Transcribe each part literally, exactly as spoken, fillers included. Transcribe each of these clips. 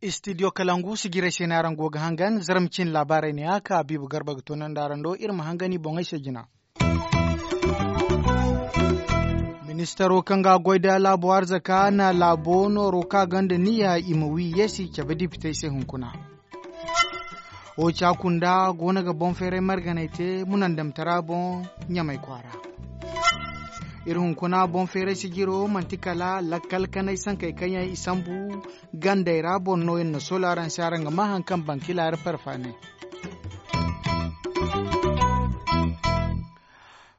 Istidiyo kalangu sijirey se no araŋ go ga hangan zarma cin laabaarey ne ya ka habiibu garba ga toonandi araŋ do iri ma hangan i boŋey se jina. Ministaro kaŋ ga a goy nda laabo arzaka na laabo nooro kaŋ a gonda niyya i ma wi yeesi cabe dipitey se hunkuna. Wo ca kunda go no ga boŋ feeray marganay te munandamtara boŋ ɲamay kwaara. Iri hunkuna boŋ feeray sijiro manti kala lakkal kanay sankey kaŋ yaŋ i sambu gandey ra boro no iri na soola araŋ se araŋ ga maa hari kaŋ bankilaari parfaane.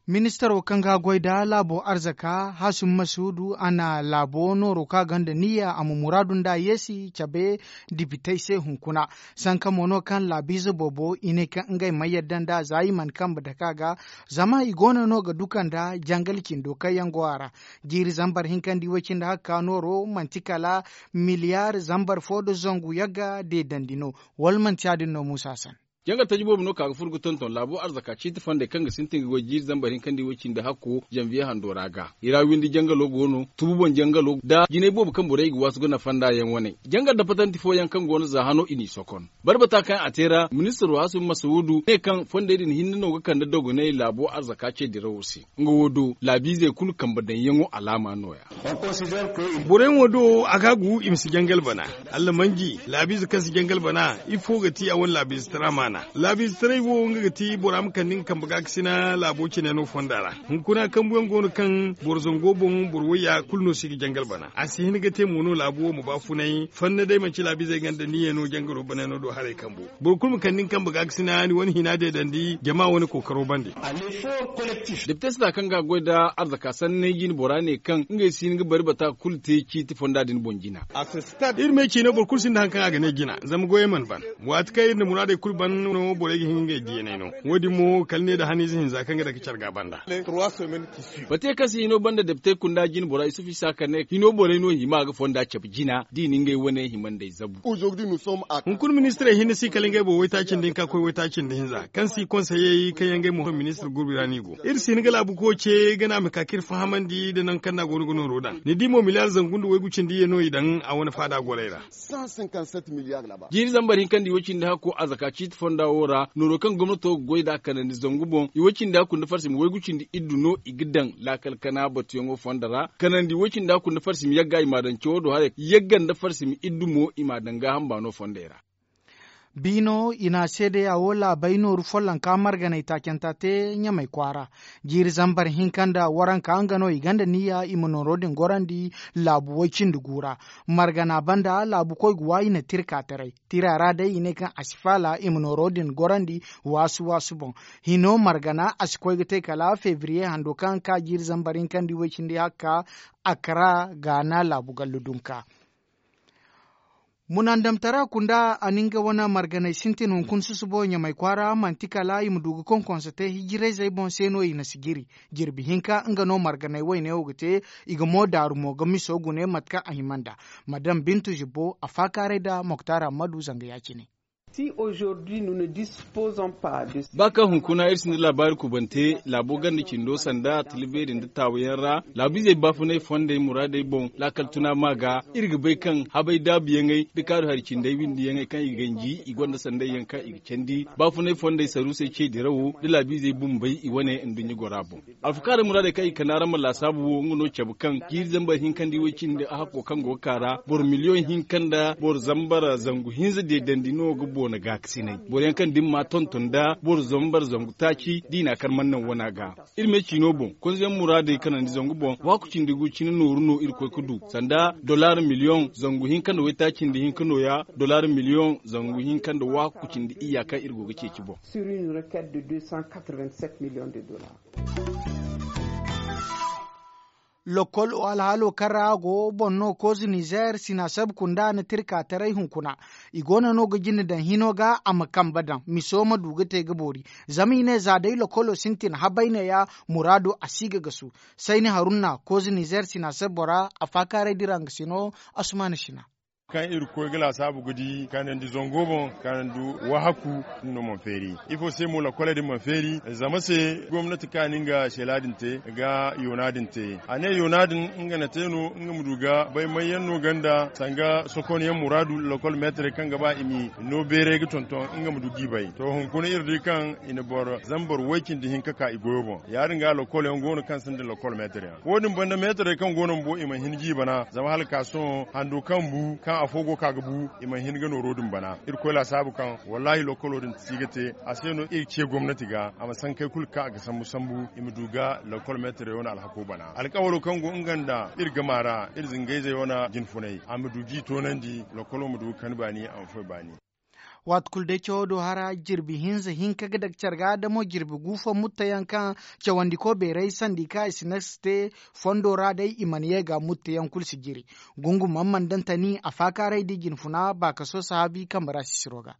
Ministaro kaŋ ga a goy nda laabo arzaka hasim masuudu a na laabo nooro kaŋ a gonda niyya a ma muraadu nda yeesi cabe dipitey se hunkuna. Sanka mo no kaŋ laabiize boobo i ne kaŋ ngey mana yadda nda za i mana kambe dake a ga. Zama i goono no ga duka nda jangal cindo kaŋ yaŋ go a ra. Jiiri zambar hinka nda i way cindi hakka nooro manti kala miliyaari zambar fo nda zangu yagga deedandi no. Wala manti ya- din no muusa san. Jangal taji boobo no ka ga furo ga tonton laabo arzaka ciiti fondey kaŋ ga sintin ga goy jiiri zambar hinka nda i way cindi hakko zanviye hando ra ga i ra windi jangalo go no tubu boŋ jangalo nda jinay boobo kaŋ borey ga waasu ga nafa nda yaŋ wane. Jangal dapatanti fooyaŋ kaŋ go no za hano i n'i sokon. Barbata kaŋ a te ra ministiro hasim masawudu ne kaŋ fondey din hinne no ga kande dogonay laabo arzaka ce dirawo se. Nga wo do laabiizey kulu kambe daŋyaŋo alaama no- ya. Borey mo do a ga gu i ma si jangal bana. Allamanji laabiize kaŋ si jangal bana ifo ga ti a wane laabiize tara maana. Laabiize taray wo nga ga ti bora ma kande nga kambe gaakasina laabo cine no fonda ra. Hunkuna kambuyaŋ go no kaŋ boro zango boŋ boro wayya kulu no si ga jangal bana a si hin ga te mo no laabo wo ma baafunay fanna day manti laabiizey ganda niyyey no jangalo banay no do haray kambu. Boro kulu ma kande ni kambe gaakasina ni wane hina deedandi jama wane kookaro bande. Depite sita kaŋ ga a goy nda arzaka sanney jine bora ne kaŋ ngey si hin ga bari bata kulu te ciiti fonda din boŋ jina. Iri me ciino boro kulu sinda hari kaŋ a ga ne jina zama goyey mana ban. Waati kaŋ iri na muraadey kulu ban no borey ga hin ngey diyaney no. Wo- din mo kala ne nda haniize hinza kaŋ ga dake care ga banda. Bate kaŋ se hino banda depite kunda jine bora isufu isa ka ne hino borey no hima ga fonda cabe jina da i na ngey wane hima nd'ey zabu. Hunkuna ministirey hinne si kala ngey boŋ waytaaci nda hinka koy waytaaci nda hinza kaŋ si konseyey kaŋ yaŋ ngey mo ministir gurbi ra no i go. Iri si hin ga laabu koy ce gana ma ka ka iri fahamandi nda nangu kaŋ no a go no ga nooro daŋ ni di mo miliyaari zangu nda waygu cindi ye no i daŋ a wane faada gorey ra. Jiiri zambar hinka nda i way cindi hakko a zaka ciiti fonda wo ra nooro kaŋ gomnato ga goy nd'a kanandi zangu boŋ i way cindi hakku nda farsimi waygu cindi iddu no i ga daŋ laakal kana batuyaŋo fonda ra kanandi i way cindi hakku nda farsimi yagga i m'a daŋ cawo do haray yagga nda farsimi iddu mo i m'a daŋ gaaham baano fondey ra. Biino i na seedeya wo laabey nooru follonka marganey taacanta te ɲamey kwaara. Jiiri zambar hinka nda waranka nga no i gonda niyya i ma nooro din gorandi laabu way cindi gu ra. Margana banda laabukoy ga wa i na tirka taray tira ra day i ne kaŋ a si faala i ma nooro din gorandi waasu waasu boŋ. Hino margana a si koy ga te kala febriye hando kaŋ ka jiiri zambar hinka nda i way cindi hakka. Akara gaana laabu gallu dunka. Munandamtara kunda a na nga wane marganey sintin hunkuna susubo ɲamay kwaara manti kala i ma du ga konkonso te hijirayzey boŋ se no i na si jiri. Jirbi hinka nga no marganey wayne wo ga te. I ga mo daaru mo ga miso gune mate kaŋ a hima nd'a. Madame bintu zibbo a faakaaray nda moktar hammadu zanga ya- cine. Ba kaŋ hunkuna iri sinda laabaari kubante laabo ganda cindo sanda tila beeri nda taawayaŋ ra laabiizey baafunay fondey muraadey boŋ laakal tuna ma ga. Iri ga bay kaŋ habay daabuyaŋey nda kaaru hari cindey windiyaŋey kaŋ i ga ganji i gonda sandayyaŋ kaŋ i ga candi baafunay fondey saruusey ce dirawo nda laabiizey bumbey i wane nduɲɲa gora boŋ. Alfakaarey muraadey kaŋ i ga kande araŋ ma laasaabu wo nga no cabe kaŋ jiiri zambar hinka nda i way cindi a hakko kaŋ go ga ka ra boro miliyoŋ hinka nda boro zambar zangu hinza deedandi no ga boona gaakasinay boro yaŋ kaŋ dimma tonton nda boro zambar zangu taaci da i na a kar mana naŋ wana ga. Iri me ciino boŋ konzeyaŋ muraadey kanandi zangu boŋ waaku cindi gu cine nooru no iri koy ga du sanda dollar miliyoŋ zangu hinka nda waytaaci nda hinka nooya dollar miliyoŋ zangu hinka nda waaku cindi iyya kaŋ iri go ga ceeci boŋ. Lokol alhaalo kaŋ ra a go boŋ no kooze nizeer sinaaseb kunda na tirka taray hunkuna. I goono no ga jine daŋ hino ga a ma kambe daŋ miso ma du ga te ga boori. Zama i ne za day lokolo sintin habayneya muraado a si ga gasu. Sayni harunna kooze nizeer sinaaseb bora a faakaaray dira nga sino. Asumaana sina. Kaŋ iri ga koy ga laasaabu ga di kanandi zango boŋ, kanandi wahaku, no mana feeri. Ifo se mo lakoley din mana feeri? Zama se gomnati kaani nga shela din te ga yoona din te. A ne yoona din nga na te no nga ma du ga bay mayyaŋ no ganda sanga sokonyaŋ muraadu, lakol meetarey kaŋ ga ba i ma no beeray ga tonton nga ma du ga i bay. To, hunkuna iri di kaŋ i na boro zambar way cindi hinka ka i goyo boŋ. Ya- din ga lakol yaŋ go no kaŋ sinda lakol meetarey. Wo- din banda meetarey kaŋ go no bumbo i mana hin ga i bana zama hala ka sohõ hando kaŋ bu kaŋ afo go ka ga bu, i mana hin ga nooro din bana. Iri koy laasaabu kaŋ wallaahi lokolo din si ga te. A se no iri ce gomnati ga a ma sankey kulu kaŋ a ga sambu sambu i ma du ga lokol meetarey wane alhako bana. Alkawalo kaŋ go nga nda iri gama ra iri zingayzey wane jinfunay a ma du ga i toonandi, lokolo ma du ga kani baani a ma foy baani. Waati kulu day cawo do hara jirbi hinza hinka ga daga care ga da mo jirbi gu fo mutta yaŋ kaŋ cawandiko beeray sandi kaŋ i si ne si te fondo ra day i mana ye ga mutta yaŋ kulu si jiri. Gungu man man daŋ tani a faakaaray da i jinfuna baakaso sahaabi kambe ra sisiro ga.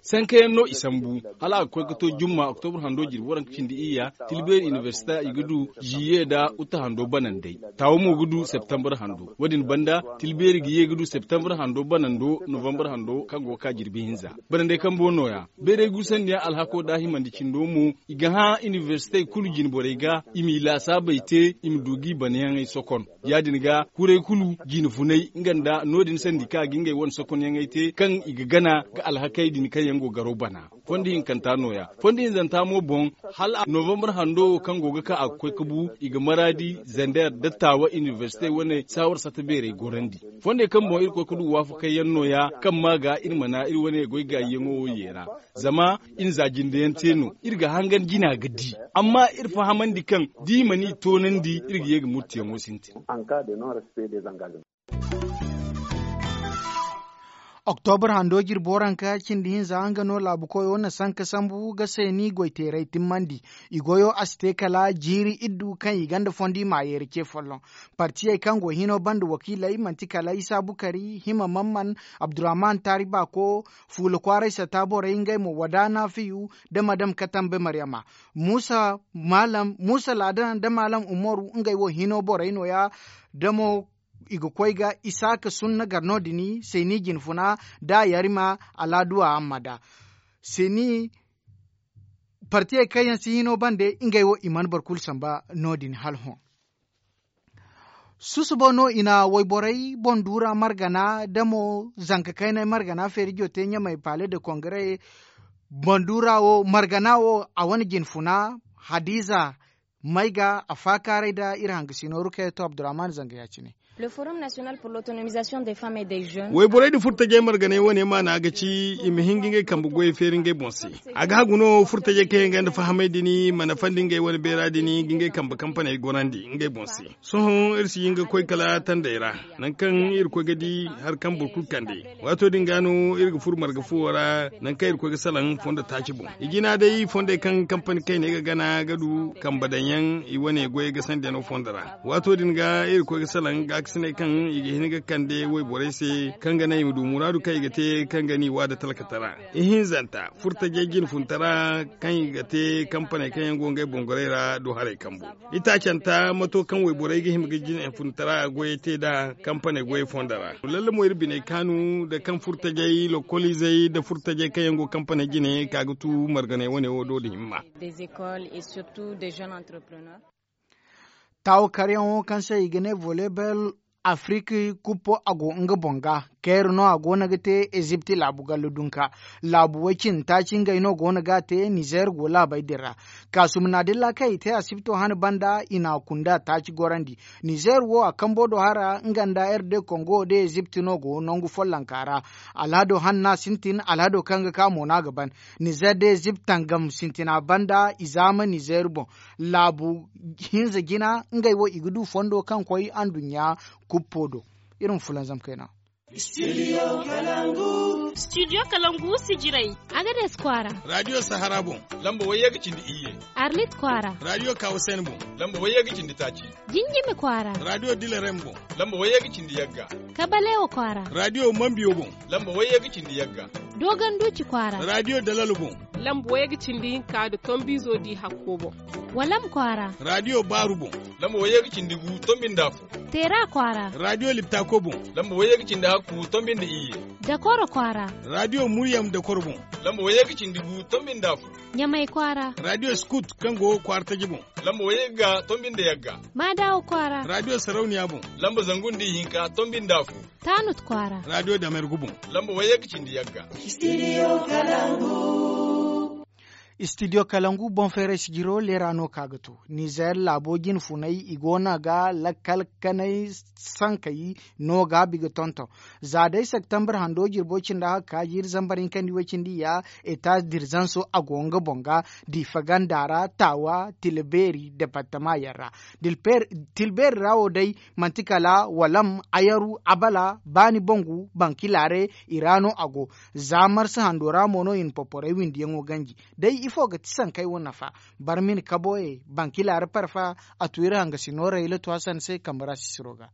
Sankayaŋ no i sambu hala a ga koy ga to jumma oktobur hando jirbi waranka cindi iyya. Tilbeeri inibersita i ga du ziye nda uta hando banandey. Taawo mo ga du septembar hando wo- din banda tilbeeri ga ye ga du septembar hando banando novembar hando kaŋ go ga ka jirbi hinza. Banandey kambo no- ya beeray guusandi yaŋ alhako da himandi cindo mo i ga hã inibersitey kulu jinborey ga i m'i laasaabey te i ma du ga i banayaŋey sokon. Ya- din ga kuray kulu jinfunay nga nda no- din sandi kaŋ a ga ngey wane sokonyaŋey te kaŋ i ga gana ga alhakey din kaŋ yaŋ go garo bana. Fondo hinkanta no- ya fondo hinzanta mo boŋ hala novembar hando wo kaŋ go ga ka a ga koy ga bu i ga maraadi zander da taawa inibersite wane saawar sata beerey gorandi. Fondey kaŋ boŋ iri koy ga du waafakayyaŋ no- ya kaŋ ma ga iri mana iri wane goy gaayyaŋo wo ye ra. Zama iri za jindeyaŋ te no iri ga hangan jina ga di. Amma iri fahamandi kaŋ da i mana i toonandi iri ga ye ga murtiyaŋo sintin. Oktobur hando jirbi waranka cindi hinza nga no laabu koyo na sanka sambu ga seeni goyteeray timmandi. I goyo a si te kala jiiri iddu kaŋ i ganda fondi maayeeri ce folloŋ. Partiyey kaŋ go hino banda wakiiley manti kala isa bukari hima mamman, abdurrahman taari baako, fuula kwaaray satta borey ngey mo wada naafiyu, da madam katambe maryama, muusa ladan da maalam umaru ngey wo hino borey no- ya. Da mo i ga koy ga isaaka sunna gar no- din seeni jinfuna, da yarima alaaduwa amma da seeni partiyey kaŋ yaŋ si hino bande ngey wo i mana boro kulu samba no- din hala hõ. Susubo no i na wayborey boŋ duura margana da mo zanka kaynay margana feerijo te ɲamay paale de kongare. Boŋ duura wo margana wo a wane jinfuna hadiza may ga a faakaaray da iri hangasino rukayatu abdurrahman zanga ya- cine. Wayborey da furtajey marganey wane maana ga ci i ma hin ga ngey kambe goyey feeri ngey boŋ se. A ga hagu no furtajey kaŋ yaŋ gonda fahamey din mana fandi ngey wane beera din ga ngey kambe kampaney gorandi ngey boŋ se. Sohõ iri si hin ga koy kala tandey ra, nangu kaŋ iri koy ga di hari kaŋ boro kulu kande. Waato din ga no iri ga furo marga fuwo ra nangu kaŋ iri koy ga salaŋ fondo taaci boŋ. I jina day fondey kaŋ kampani kayney ga gana ga du kambe daŋyaŋ i wane goyey ga sandiyano fondo ra. Waato din ga iri koy ga salaŋ gaakasiney kaŋ i ga hin ga kande wayborey se kaŋ ga naŋ i ma du muraadu kaŋ i ga te kaŋ ga n'i waada talkatara. Ihinzanta furtajey jinfuntara kaŋ i ga te kampaney kaŋ yaŋ go ngey boŋgoray ra do haray kambu. Itaacanta mato kaŋ wayborey ga hima ga jinfuntara goyey te nd'a kampaney goyey fondo ra. Lallamo iri biney kaanu nda kaŋ furtajey lokoliizey nda furtajey kaŋ yaŋ go kampaney jine ka ga tu marganey wane wo do nda himma. Taawo karyaŋo kaŋ se i ga ne volebel afiriki kuppo a go nga boŋ ga. Kayra no a goono ga te ezipti laabu gallo dunka. Laabu way cindi taaci ngey no goono ga a te nizeer go laabey din ra. Kaasumuna dilla kaŋ i te asipto hane banda i na a kunda taaci gorandi. Nizeer wo a kambo do hara nga nda r d kongo da ezipti no go nangu follonka ra. Alhado hanna sintin alhado kaŋ ga ka mo no a ga ban. Nizeer da ezipti tangam sintina banda i zaama nizeer boŋ. Laabu hinza jina ngey wo i ga du fondo kaŋ koy anduɲɲa kuppo do. Iri ma fulanzam kayna. Studio kalangu sijirey. Agades kwaara. Radio sahara boŋ. Lamba wayye ga cindi iyye. Arlit kwaara. Radio kawasen boŋ. Lamba wayye ga cindi taaci. Jinjimi kwaara. Radio dilarem boŋ. Lamba wayye ga cindi yagga. Kabalewo kwaara. Radio mambiyo boŋ. Lamba wayye ga cindi yagga. Doganduci kwaara. Radio dalal boŋ. Lamba wayye ga cindi hinka nda tombiizo di hakko boŋ. Walam kwaara. Raadiyo baaru boŋ. Lamba wayye ga cindi gu tombi nda afo. Teera kwaara. Raadiyo liptako boŋ. Lamba wayye ga cindi hakku tombi nda iyye. Dakoro kwaara. Raadiyo muryam dakoro boŋ. Lamba wayye ga cindi gu tombi nda afo. Ɲamay kwaara. Raadiyo skut kaŋ go kwaara taji boŋ. Lamba wayye ga tombi nda yagga. Maadawa kwaara. Raadiyo sarauniya boŋ. Lamba zangu nda ihinka tombi nda afo. Taanut kwaara. Raadiyo damergu boŋ. Lamba wayye ga cindi yagga. Studio kalangu. Studio kalangu boŋ feeray sijiro leera no ka ga to. Nizer laabo jine funay i go no ga lakkal kanay sankey no ga bi ga tonton. Za day septembre hando jirbo cindi haka ka jiiri zambar hinka nda iway cindi ya. Eta dirzanso a go nga boŋ ga diifa ganda ra taawa tilbeeri departama yaŋ ra. Tilbeeri ra wo day manti kala walam, ayaru, abala, baani bangu, bankilaare, i ra no a go. Za marsa hando ra mo no i na porporey windiyaŋo ganji. Day ifo ga ti sankey wo nafa? Barmin kaboye bankilaare parfa. A tu iri hangasino rayla tu hasan se kambe ra sisiro ga.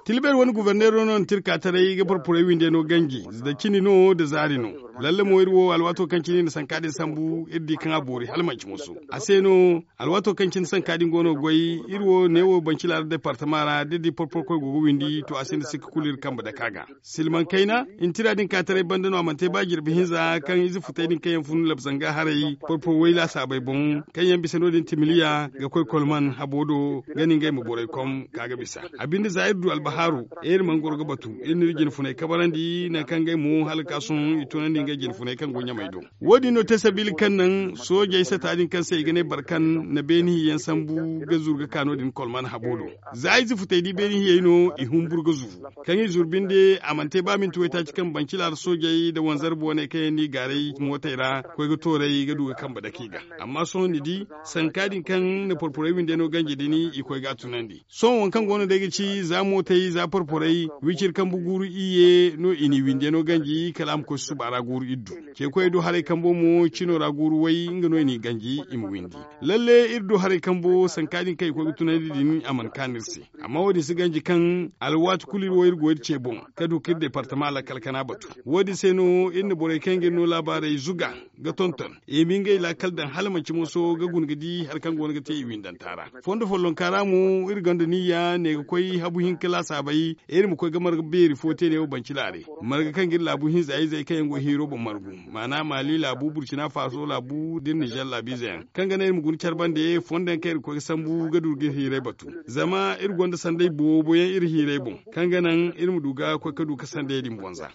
Tilbeeri wane guberneero no na tirka taray ga porporey windey no ganji. Da cini no da zaari no. Lalle mo iri wo alwaato kaŋ cine i na sanka din sambu iri di kaŋ a boori hala manci moso. A se no alwaato kaŋ cine sanka din go no ga goy. Iri wo neewo banci laara departama ra da iri di porporo koy go ga windi to a sinda sikka kulu iri kambe dake a ga. Silmaŋ kayna intira din ka taray banda no a mana te ba jirbi hinza kaŋ ize futey din kaŋ yaŋ fun labzanga haray porporo way laasaabey boŋ. Kaŋ yaŋ bisa no- din timiliya ga koy kolman habo do ga ni ngey ma borey kom ka ga bisa. A binde za iri du albahaaru iri mana goro ga batu iri n'iri jine funey kabarandi nangu kaŋ ngey mo hala ga ka sohõ i tunandi ngey jine funey kaŋ go ɲamey do. Wo- din no te sabiila kaŋ naŋ soojey sata din kaŋ se i ga ne barkan na beeni hiyayaŋ sambu ga zuru ga ka no- din kolman habo do. Za ize futey di beeni hiyey no i humburu ga zuru. Kaŋ i zuru binde a mana te ba minti waytaaci kaŋ banci laara soojey nda wanzarbe wane kaŋ yaŋ n'i gaaray mootey ra koy ga tooray ga du ga kambe dake i ga. Amma sohõ ni di sanka din kaŋ na porporey windey no ganji din i koy ga a tunandi. Sohõ waŋ kaŋ go no day ga ci za mootey za porporey wiciri kambe guuru iyye no i n'i windey no ganji kala a ma koy susuba ra guuru iri du. Ceekoyey do haray kambo mo cino ra guuru way nga no i n'i ganji i ma windi. Lalle iri do haray kambo sanka din kaŋ i koy ga tunandi din a mana kaanu iri se. Amma wo- din si ganji kaŋ alwaati kulu iri wo iri go iri ce boŋ ka du ka iri departama lakkal kana batu. Wo- din se no iri na borey kaŋ ga iri no laabaarey zuga ga tonton i ma ngey laakal daŋ hala manci moso ga guna ga di hari kaŋ go no ga te i windanta ra. Fondo follonka ra mo iri gonda niyya ne ga koy habu hinka laasaabey iri ma koy ga marga beeri fo te ne wo banci laare. Marga kaŋ ga iri laabu hinza izey kaŋ yaŋ go hiiro boŋ margu maana maali laabu burcina faso laabu da iri nizer laabiize yaŋ kaŋ ga naŋ iri ma guna care bande fondo yaŋ kaŋ iri ga koy ga sambu ga du ga iri hiirey batu. Zama iri gonda sanday boobo yaŋ iri hiirey boŋ kaŋ ga naŋ iri ma du ga koy ga du ga sandayey din boŋ za.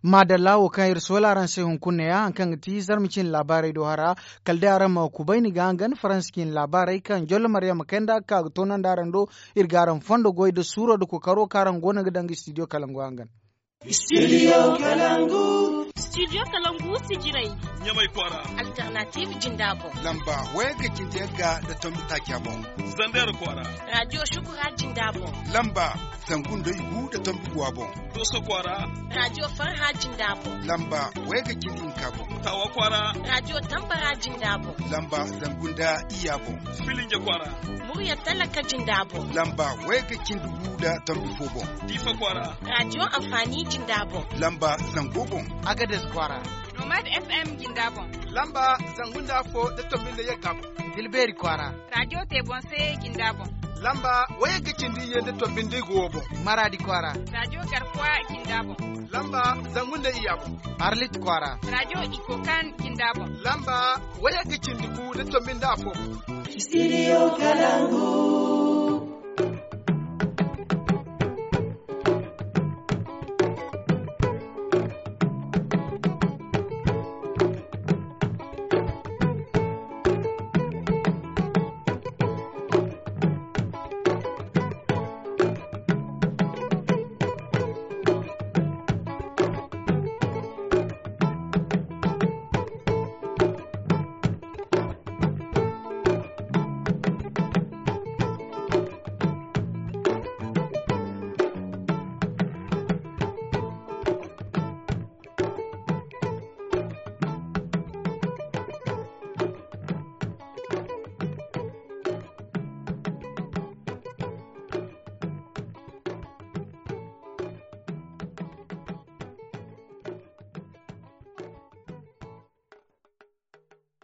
Maadalla wo kaŋ iri soola araŋ se hunkuna ne ya hari kaŋ ga ti zarma cine laabaarey do hara. Kala day araŋ ma kubay ni ga hangan faransa cine laabaarey kaŋ jollo maryama kayna da ga ka ga toonandi araŋ do. Iri ga araŋ fondo goy nda suuro nda kookaro kaŋ araŋ go no ga daŋ ga studio kalangu hangan. Studio kalangu. Studio kalangu sijirey. Ɲamay kwaara. Alternative jinda boŋ. Lamba wayga cindi yagga nda tombi taaca boŋ. Zander kwaara. Radio shukura jinda boŋ. Lamba zangu nda igu nda tombi guwa boŋ. Doso kwaara. Radio farha jinda boŋ. Lamba wayga cindi hinka boŋ. Tawa kwaara. Radio tambara jinda boŋ. Lamba zangu nda iyya boŋ. Filinja kwaara. Murya talaka jinda boŋ. Lamba wayga cindi gu nda tombi fo boŋ. Difa kwaara. Radio amfani jinda boŋ. Lamba zango boŋ. Agades kwaara. Nomad FM jinda boŋ. Lamba zangu nda afo nda tombi nda yagga boŋ. Dilbeeri kwaara. Radio te boŋ se jinda boŋ. Lamba wayga cindi iyye nda tombi nda igu wo boŋ. Maradi kwaara. Radio garkuwa jinda boŋ. Lamba zangu nda iyya boŋ. Arlit kwaara. Radio ikokan jinda boŋ. Lamba wayga cindi gu nda tombi nda afo boŋ. Studio kalangu.